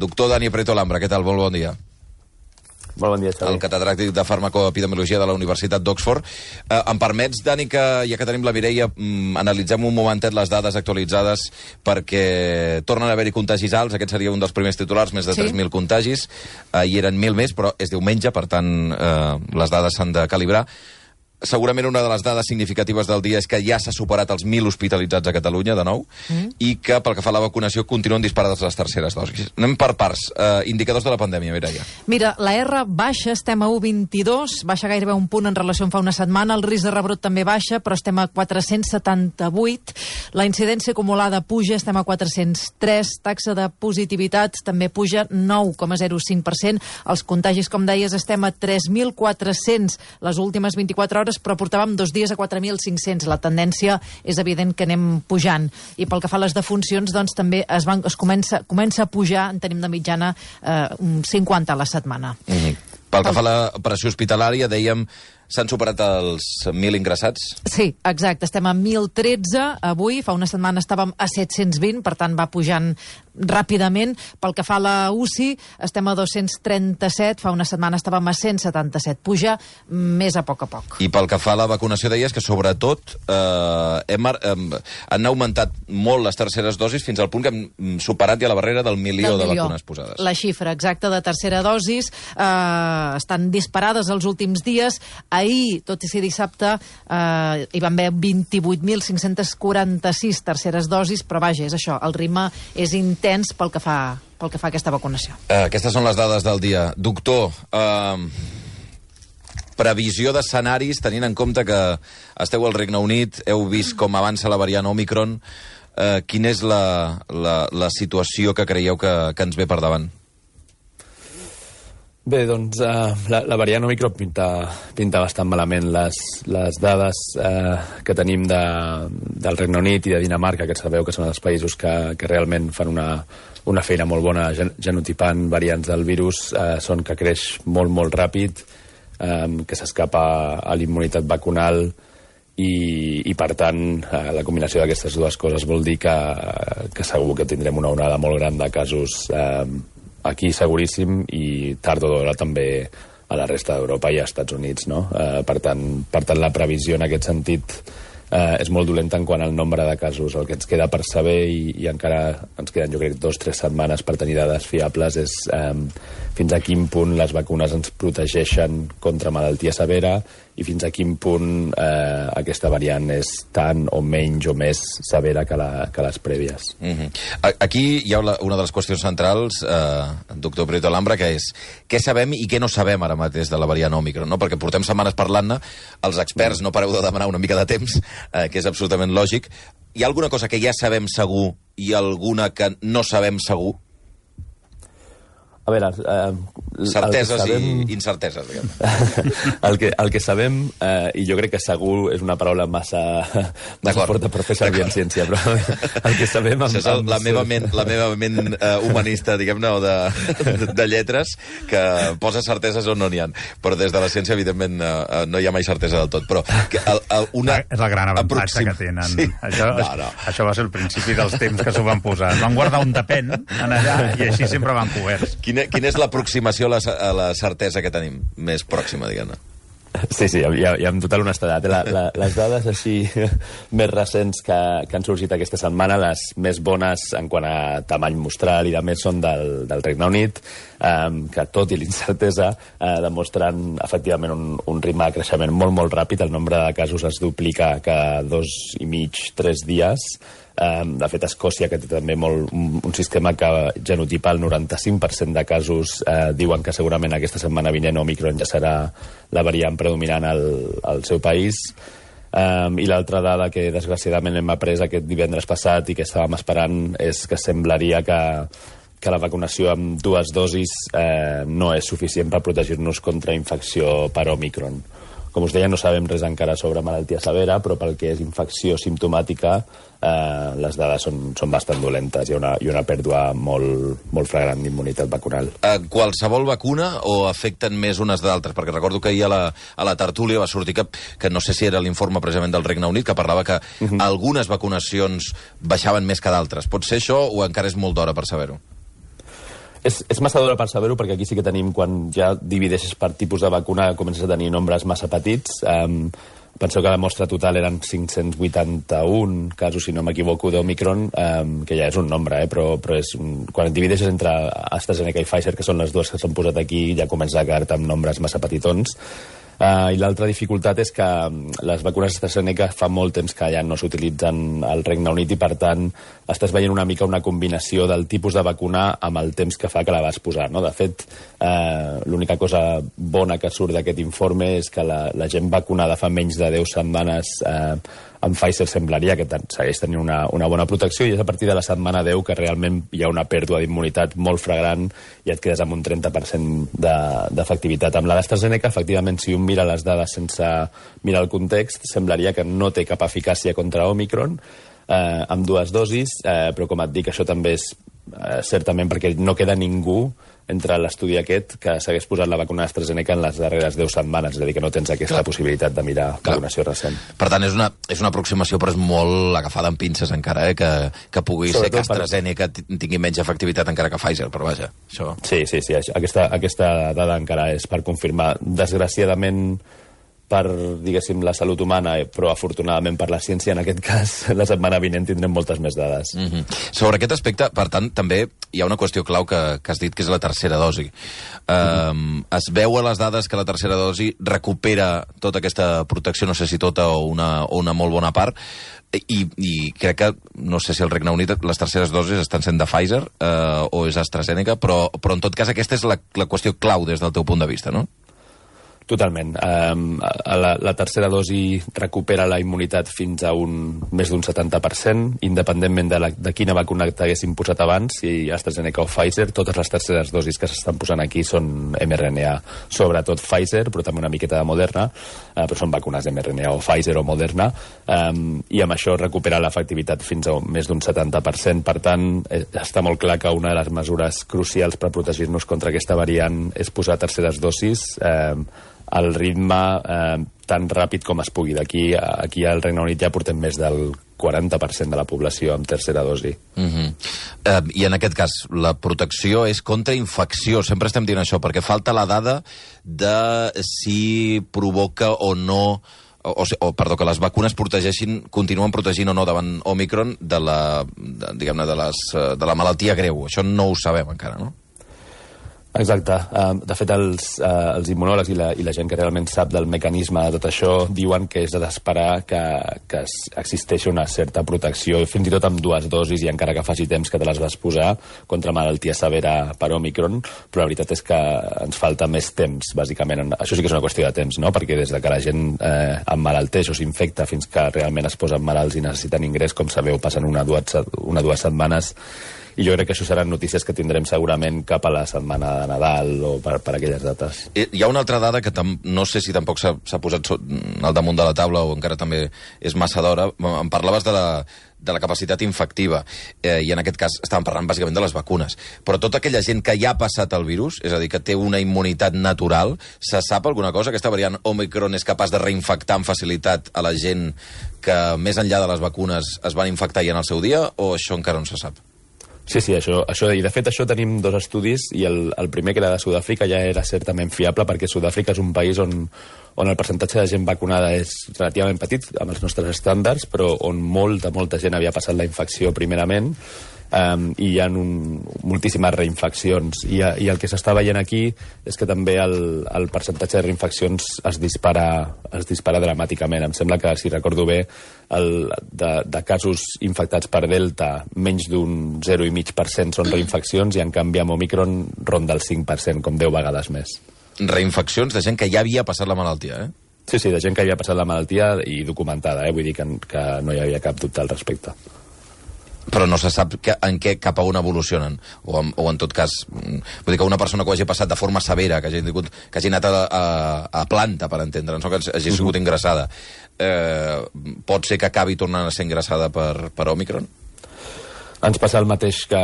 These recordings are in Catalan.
Doctor Dani Prieto Lambra, què tal? Molt bon dia. Molt bon dia, Xavi. El catedràtic de farmacoepidemiologia de la Universitat d'Oxford. Em permets, Dani, que ja que tenim la Mireia, analitzem un momentet les dades actualitzades perquè tornen a haver-hi contagis alts. Aquest seria un dels primers titulars, més de 3.000 contagis. Hi eren 1.000 més, però és diumenge, per tant, les dades s'han de calibrar. Segurament una de les dades significatives del dia és que ja s'ha superat els 1.000 hospitalitzats a Catalunya, de nou, i que, pel que fa a la vacunació, continuen disparades les terceres dosis. Anem per parts. Indicadors de la pandèmia, Mireia. Mira, la R baixa, estem a 1,22, baixa gairebé un punt en relació amb fa una setmana, el risc de rebrot també baixa, però estem a 478, la incidència acumulada puja, estem a 403, taxa de positivitat també puja, 9,05%, els contagis, com deies, estem a 3.400 les últimes 24 hores, però portàvem 2 dies a 4.500. La tendència és evident que anem pujant. I pel que fa a les defuncions, doncs també es comença a pujar, en tenim de mitjana 50 a la setmana. Pel que fa a l'operació hospitalària, dèiem, s'han superat els 1.000 ingressats? Sí, exacte. Estem a 1.013 avui. Fa una setmana estàvem a 720, per tant va pujant ràpidament. Pel que fa a la UCI, estem a 237. Fa una setmana estàvem a 177. Puja més a poc. I pel que fa a la vacunació, deies que sobretot han augmentat molt les terceres dosis fins al punt que hem superat ja la barrera del milió de vacunes posades. La xifra exacta de tercera dosis estan disparades els últims dies. Ahir, tot i ser dissabte, hi van haver 28.546 terceres dosis, però vaja, és això, el ritme és intens pel que fa a aquesta vacunació. Aquestes són les dades del dia. Doctor, previsió d'escenaris, tenint en compte que esteu al Regne Unit, heu vist com avança la variant Omicron, quina és la situació que creieu que ens ve per davant? Bé, doncs la variant Omicron pinta bastant malament. Les dades que tenim del Regne Unit i de Dinamarca, que sabeu que són els països que realment fan una feina molt bona genotipant variants del virus, són que creix molt, molt ràpid, que s'escapa a la immunitat vacunal i per tant, la combinació d'aquestes dues coses vol dir que segur que tindrem una onada molt gran de casos aquí seguríssim i tard o d'hora també a la resta d'Europa i als Estats Units, no? Per tant, la previsió en aquest sentit és molt dolenta en quant al nombre de casos. El que ens queda per saber, i encara ens queden, jo crec, 2 o 3 setmanes per tenir dades fiables, és fins a quin punt les vacunes ens protegeixen contra malaltia severa i fins a quin punt aquesta variant és tan o menys o més severa que les prèvies. Aquí hi ha una de les qüestions centrals, doctor Prieto Lambra, que és què sabem i què no sabem ara mateix de la variant Omicron, no? Perquè portem setmanes parlant-ne, els experts no pareu de demanar una mica de temps, que és absolutament lògic. Hi ha alguna cosa que ja sabem segur i alguna que no sabem segur? A veure... certeses i incerteses, diguem. El que sabem, i jo crec que segur és una paraula massa forta per fer servir en ciència, però el que sabem... Això és la meva ment humanista, diguem-ne, o de lletres, que posa certeses on no n'hi ha. Però des de la ciència, evidentment, no hi ha mai certesa del tot. Però és el gran avantatge que tenen. Sí. Això va ser el principi dels temps que s'ho van posar. Van guardar un depèn en allà i així sempre van coberts. Quina és l'aproximació a la certesa que tenim més pròxima, diguem-ne? Sí, ja amb total honestedat. Les dades així més recents que han sorgit aquesta setmana, les més bones en quant a tamany mostral i de més són del Regne Unit, que tot i l'incertesa demostren efectivament un ritme de creixement molt, molt ràpid. El nombre de casos es duplica cada 2,5-3 dies. De fet, Escòcia, que té també un sistema que genotipa el 95% de casos, diuen que segurament aquesta setmana vinent Omicron ja serà la variant predominant al seu país. I l'altra dada que desgraciadament hem après aquest divendres passat i que estàvem esperant és que semblaria que la vacunació amb 2 dosis no és suficient per protegir-nos contra infecció per Omicron. Com us deia, no sabem res encara sobre malaltia severa, però pel que és infecció simptomàtica, les dades són bastant dolentes. Hi ha una pèrdua molt flagrant d'immunitat vacunal. Qualsevol vacuna o afecten més unes d'altres? Perquè recordo que ahir a la tertúlia va sortir que no sé si era l'informe precisament del Regne Unit, que parlava que algunes vacunacions baixaven més que d'altres. Pot ser això o encara és molt d'hora per saber-ho? És massa d'hora per saber-ho, perquè aquí sí que tenim, quan ja divideixes per tipus de vacuna, comences a tenir nombres massa petits. Penseu que la mostra total eren 581 casos, si no m'equivoco, d'Omicron, que ja és un nombre, però quan et divideixes entre AstraZeneca i Pfizer, que són les dues que s'han posat aquí, ja comença a quedar-te amb nombres massa petitons. I l'altra dificultat és que les vacunes AstraZeneca fa molt temps que ja no s'utilitzen al Regne Unit i, per tant, estàs veient una mica una combinació del tipus de vacuna amb el temps que fa que la vas posar, no? De fet, l'única cosa bona que surt d'aquest informe és que la gent vacunada fa menys de 10 setmanes amb Pfizer semblaria que segueix tenint una bona protecció, i és a partir de la setmana 10 que realment hi ha una pèrdua d'immunitat molt flagrant i et quedes amb un 30% d'efectivitat. Amb la d'AstraZeneca, efectivament, si un mira les dades sense mirar el context, semblaria que no té cap eficàcia contra Omicron amb 2 dosis, però com et dic, això també és certament perquè no queda ningú entre l'estudi aquest que s'hagués posat la vacuna AstraZeneca en les darreres 10 setmanes, és a dir, que no tens aquesta possibilitat de mirar vacunació recent. Per tant, és una aproximació, però és molt agafada amb pinces encara, que pugui ser que AstraZeneca tingui menys efectivitat encara que Pfizer, però vaja, això... Sí, aquesta dada encara és per confirmar. Desgraciadament, per, diguéssim, la salut humana, però afortunadament per la ciència, en aquest cas, la setmana vinent tindrem moltes més dades. Sobre aquest aspecte, per tant, també hi ha una qüestió clau que has dit, que és la tercera dosi. Es veu a les dades que la tercera dosi recupera tota aquesta protecció, no sé si tota o una molt bona part, i crec que, no sé si al Regne Unit les terceres dosis estan sent de Pfizer o és AstraZeneca, però en tot cas aquesta és la qüestió clau des del teu punt de vista, no? Totalment. La tercera dosi recupera la immunitat fins a més d'un 70%, independentment de quina vacuna t'haguessin posat abans, si AstraZeneca o Pfizer. Totes les terceres dosis que s'estan posant aquí són mRNA, sobretot Pfizer, però també una miqueta de Moderna, però són vacunes mRNA o Pfizer o Moderna, i amb això recupera l'efectivitat fins a més d'un 70%. Per tant, està molt clar que una de les mesures crucials per protegir-nos contra aquesta variant és posar terceres dosis al ritme tan ràpid com es pugui. Aquí al Regne Unit ja portem més del 40% de la població amb tercera dosi. I en aquest cas, la protecció és contra infecció. Sempre estem dient això, perquè falta la dada de si provoca o no, que les vacunes continuen protegint o no davant Omicron de la malaltia greu. Això no ho sabem encara, no? Exacte. De fet, els immunòlegs i la gent que realment sap del mecanisme de tot això diuen que és d'esperar que existeixi una certa protecció, fins i tot amb 2 dosis, i encara que faci temps que te les vas posar, contra malaltia severa per Omicron, però la veritat és que ens falta més temps, bàsicament. Això sí que és una qüestió de temps, no? Perquè des de que la gent emmalalteix o s'infecta fins que realment es posen malalts i necessiten ingrés, com sabeu, passen una o dues setmanes, i jo crec que això seran notícies que tindrem segurament cap a la setmana de Nadal o per aquelles dates. Hi ha una altra dada que no sé si tampoc s'ha posat al damunt de la taula o encara també és massa d'hora. Em parlaves de la capacitat infectiva, i en aquest cas estàvem parlant bàsicament de les vacunes. Però tota aquella gent que ja ha passat el virus, és a dir, que té una immunitat natural, se sap alguna cosa? Aquesta variant Omicron és capaç de reinfectar amb facilitat a la gent que més enllà de les vacunes es van infectar ja en el seu dia, o això encara no se sap? Sí, i de fet això tenim 2 estudis, i el primer, que era de Sud-àfrica, ja era certament fiable, perquè Sud-àfrica és un país on el percentatge de gent vacunada és relativament petit, amb els nostres estàndards, però on molta gent havia passat la infecció primerament, i hi ha moltíssimes reinfeccions, i el que s'està veient aquí és que també el percentatge de reinfeccions es dispara dramàticament. Em sembla que, si recordo bé, de casos infectats per Delta, menys d'un 0,5% són reinfeccions, i en canvi amb Omicron ronda el 5%, com 10 vegades més. Reinfeccions de gent que ja havia passat la malaltia, eh? Sí, de gent que havia passat la malaltia i documentada, vull dir que no hi havia cap dubte al respecte. Però no se sap cap a on evolucionen, o en tot cas, vull dir que una persona que ho hagi passat de forma severa, que hagi anat a planta, per entendre'ns, no? Que hagi sigut ingressada, pot ser que acabi tornant a ser ingressada per Omicron? Ens passa el mateix que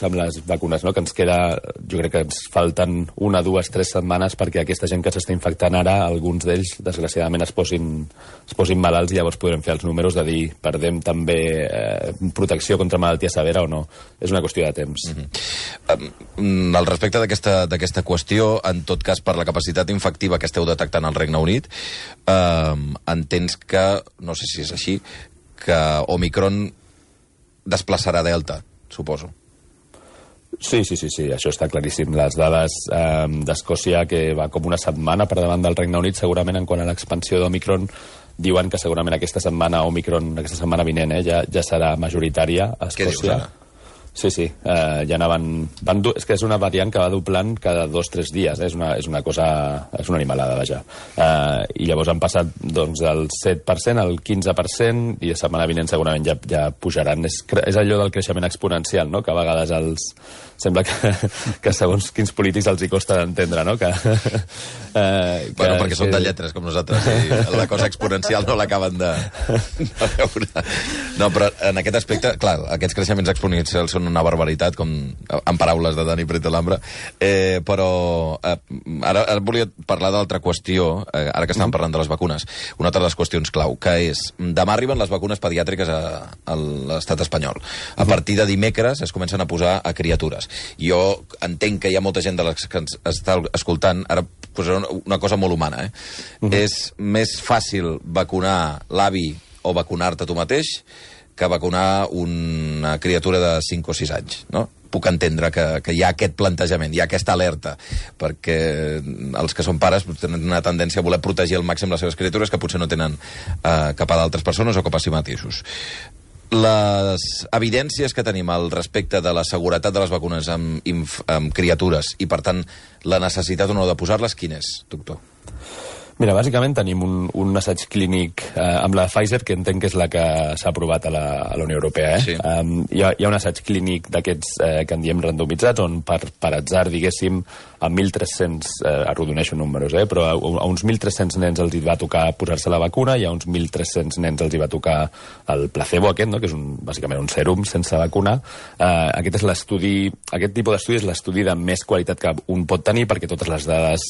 amb les vacunes, no? Que ens queda, jo crec que ens falten 1, 2, 3 setmanes perquè aquesta gent que s'està infectant ara, alguns d'ells, desgraciadament, es posin malalts i llavors podrem fer els números de dir perdem també protecció contra malaltia severa o no. És una qüestió de temps. Al respecte d'aquesta qüestió, en tot cas, per la capacitat infectiva que esteu detectant al Regne Unit, entens que, no sé si és així, que Omicron desplaçarà Delta, suposo. Sí, això està claríssim. Les dades d'Escòcia, que va com una setmana per davant del Regne Unit, segurament en quant a l'expansió d'Omicron, diuen que segurament aquesta setmana vinent, ja serà majoritària a Escòcia. Què dius ara? Sí, ja anaven... És que és una variant que va doblant cada 2-3 dies, és una cosa... És una animalada, vaja. I llavors han passat doncs, del 7% al 15%, i la setmana vinent segurament ja pujaran. És allò del creixement exponencial, no? Que a vegades sembla que segons quins polítics els hi costa d'entendre, no? Perquè són de lletres, com nosaltres, i la cosa exponencial no l'acaben de veure. No, però en aquest aspecte, clar, aquests creixements exponencials són una barbaritat, com en paraules de Dani Pretelambra, però ara volia parlar d'altra qüestió, ara que estàvem parlant de les vacunes, una altra de les qüestions clau, que és, demà arriben les vacunes pediàtriques a l'estat espanyol. A partir de dimecres es comencen a posar a criatures. Jo entenc que hi ha molta gent de les que ens està escoltant, ara posaré una cosa molt humana, És més fàcil vacunar l'avi o vacunar-te tu mateix que vacunar una criatura de 5 o 6 anys, no? Puc entendre que hi ha aquest plantejament, hi ha aquesta alerta, perquè els que són pares tenen una tendència a voler protegir al màxim les seves criatures que potser no tenen cap a d'altres persones o cap a si mateixos. Les evidències que tenim al respecte de la seguretat de les vacunes amb criatures i, per tant, la necessitat o no de posar-les, quin és, doctor? Mira, bàsicament tenim un assaig clínic amb la Pfizer, que entenc que és la que s'ha aprovat a la Unió Europea. Sí. Hi ha un assaig clínic d'aquests que en diem randomitzats, on per atzar, diguéssim, a 1.300, arrodoneixo números, però a uns 1.300 nens els hi va tocar posar-se la vacuna i a uns 1.300 nens els hi va tocar el placebo aquest, no? Que és bàsicament un sèrum sense vacuna. Aquest tipus d'estudi és l'estudi de més qualitat que un pot tenir, perquè totes les dades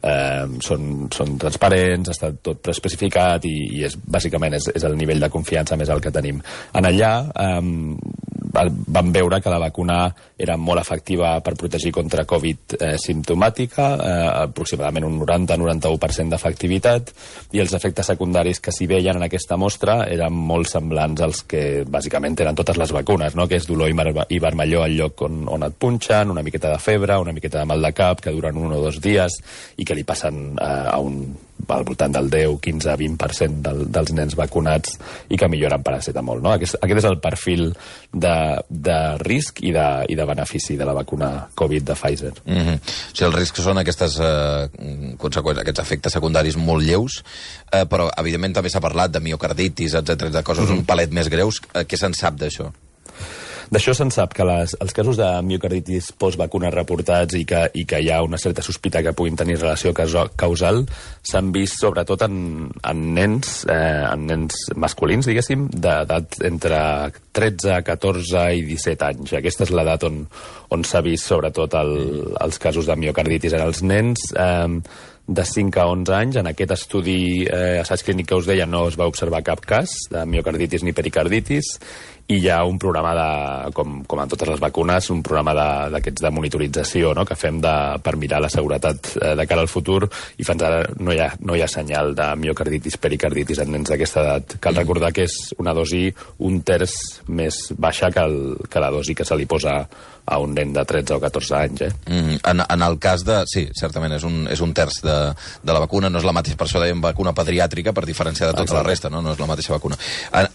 són transparents, està tot preespecificat i bàsicament és el nivell de confiança més alt que tenim. En allà vam veure que la vacuna era molt efectiva per protegir contra Covid simptomàtica, aproximadament un 90-91% d'efectivitat, i els efectes secundaris que s'hi veien en aquesta mostra eren molt semblants als que bàsicament tenen totes les vacunes, no? Que és dolor i vermellor al lloc on et punxen, una miqueta de febre, una miqueta de mal de cap, que duren 1 o 2 dies i que li passen al voltant del 10, 15, 20% dels nens vacunats i que milloren paracetamol, no? Aquest és el perfil de risc i de benefici de la vacuna Covid de Pfizer. O sigui, el risc són aquestes conseqüències, aquests efectes secundaris molt lleus, però evidentment també s'ha parlat de miocarditis, etc, de coses un palet més greus. Què se'n sap d'això? D'això se'n sap que els casos de miocarditis postvacunes reportats i que hi ha una certa sospita que puguin tenir relació causal s'han vist sobretot en nens masculins, diguéssim, d'edat entre 13, 14 i 17 anys. Aquesta és l'edat on s'ha vist sobretot els casos de miocarditis en els nens de 5 a 11 anys. En aquest estudi assaig clínic que us deia no es va observar cap cas de miocarditis ni pericarditis, i hi ha un programa, com en totes les vacunes, un programa d'aquests de monitorització, no?, que fem per mirar la seguretat de cara al futur, i fins ara no hi ha senyal de miocarditis, pericarditis en nens d'aquesta edat. Cal recordar que és una dosi 1/3 més baixa que la dosi que se li posa a un nen de 13 o 14 anys. En el cas de... Sí, certament, és un 1/3 de la vacuna, no és la mateixa, per això dèiem vacuna pediàtrica, per diferenciar de tota la resta, no és la mateixa vacuna.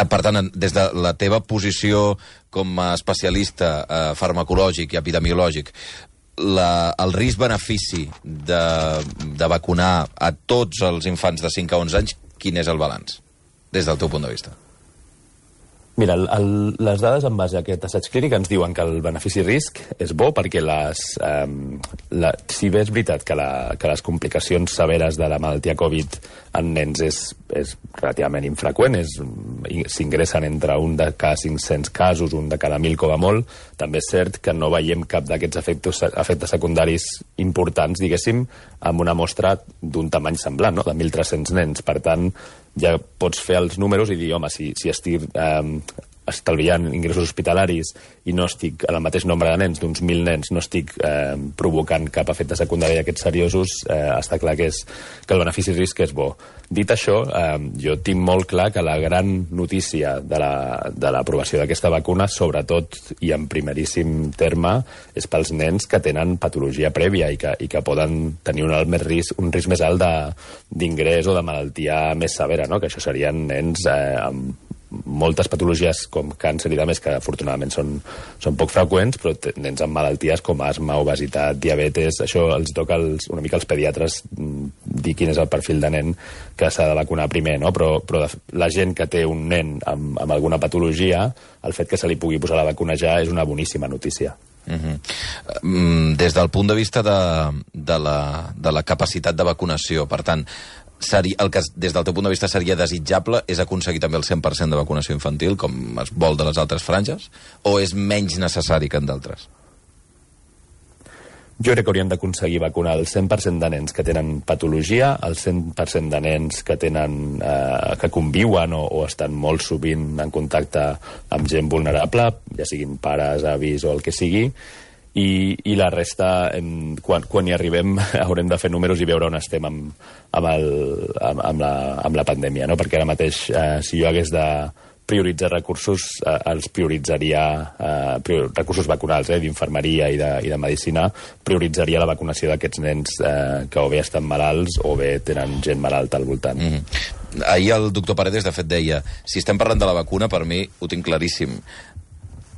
Per tant, des de la teva posició com a especialista farmacològic i epidemiològic, el risc-benefici de vacunar a tots els infants de 5 a 11 anys, quin és el balanç, des del teu punt de vista? Mira, les dades en base a aquest assaig clínic ens diuen que el benefici-risc és bo perquè si bé és veritat que les complicacions severes de la malaltia Covid en nens és relativament infreqüent, s'ingressen entre un de cada 500 casos, un de cada 1.000 com a molt, també és cert que no veiem cap d'aquests efectes secundaris importants, diguéssim, amb una mostra d'un tamany semblant, no? De 1.300 nens. Per tant, ja pots fer els números i dir, home, si estic estalviant ingressos hospitalaris i no estic en el mateix nombre de nens, d'uns 1.000 nens, no estic provocant cap efecte secundari d'aquests seriosos, està clar que el benefici-risc és bo. Dit això, jo tinc molt clar que la gran notícia de l'aprovació d'aquesta vacuna, sobretot i en primeríssim terme, és pels nens que tenen patologia prèvia i que poden tenir un risc més alt d'ingrés o de malaltia més severa, no? Que això serien nens amb moltes patologies com càncer i de més, que afortunadament són poc freqüents, però nens amb malalties com asma, obesitat, diabetes. Això els toca una mica als pediatres dir quin és el perfil de nen que s'ha de vacunar primer, no? Però la gent que té un nen amb alguna patologia, el fet que se li pugui posar la vacuna ja és una boníssima notícia. Des del punt de vista de la capacitat de vacunació, per tant, el que des del teu punt de vista seria desitjable és aconseguir també el 100% de vacunació infantil, com es vol de les altres franges, o és menys necessari que en d'altres? Jo crec que hauríem d'aconseguir vacunar el 100% de nens que tenen patologia, el 100% de nens que conviuen o estan molt sovint en contacte amb gent vulnerable, ja siguin pares, avis o el que sigui, i la resta, quan hi arribem, haurem de fer números i veure on estem amb la pandèmia, no? Perquè ara mateix, si jo hagués de prioritzar recursos, els prioritzaria recursos vacunals, d'infermeria i de medicina, prioritzaria la vacunació d'aquests nens que o bé estan malalts o bé tenen gent malalta al voltant. Ahir el doctor Paredes, de fet, deia, si estem parlant de la vacuna, per mi ho tinc claríssim.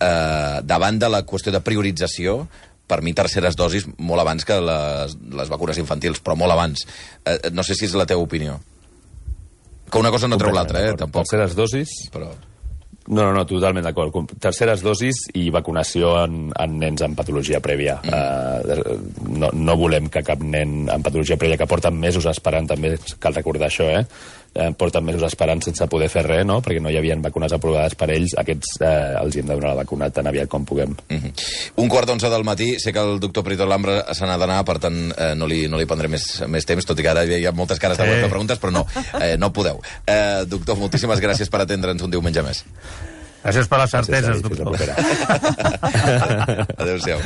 Davant de la qüestió de priorització, per mi terceres dosis molt abans que les vacunes infantils, però molt abans. No sé si és la teva opinió. Que una cosa no treu l'altra, tampoc. Terceres dosis? Però... No, totalment d'acord. Terceres dosis i vacunació en nens amb patologia prèvia. No volem que cap nen amb patologia prèvia, que porten mesos esperant, també cal recordar això, porten mesos esperant sense poder fer res, no? Perquè no hi havia vacunes aprovades per ells, aquests els hem de donar la vacuna tan aviat com puguem. 1:45 del matí, sé que el doctor Prieto Lambra se n'ha d'anar, per tant no li prendré més temps, tot i que ara hi ha moltes cares de preguntes, però no podeu. Doctor, moltíssimes gràcies per atendre'ns un diumenge més. Gràcies per les certeses, doctor. Adéu-siau.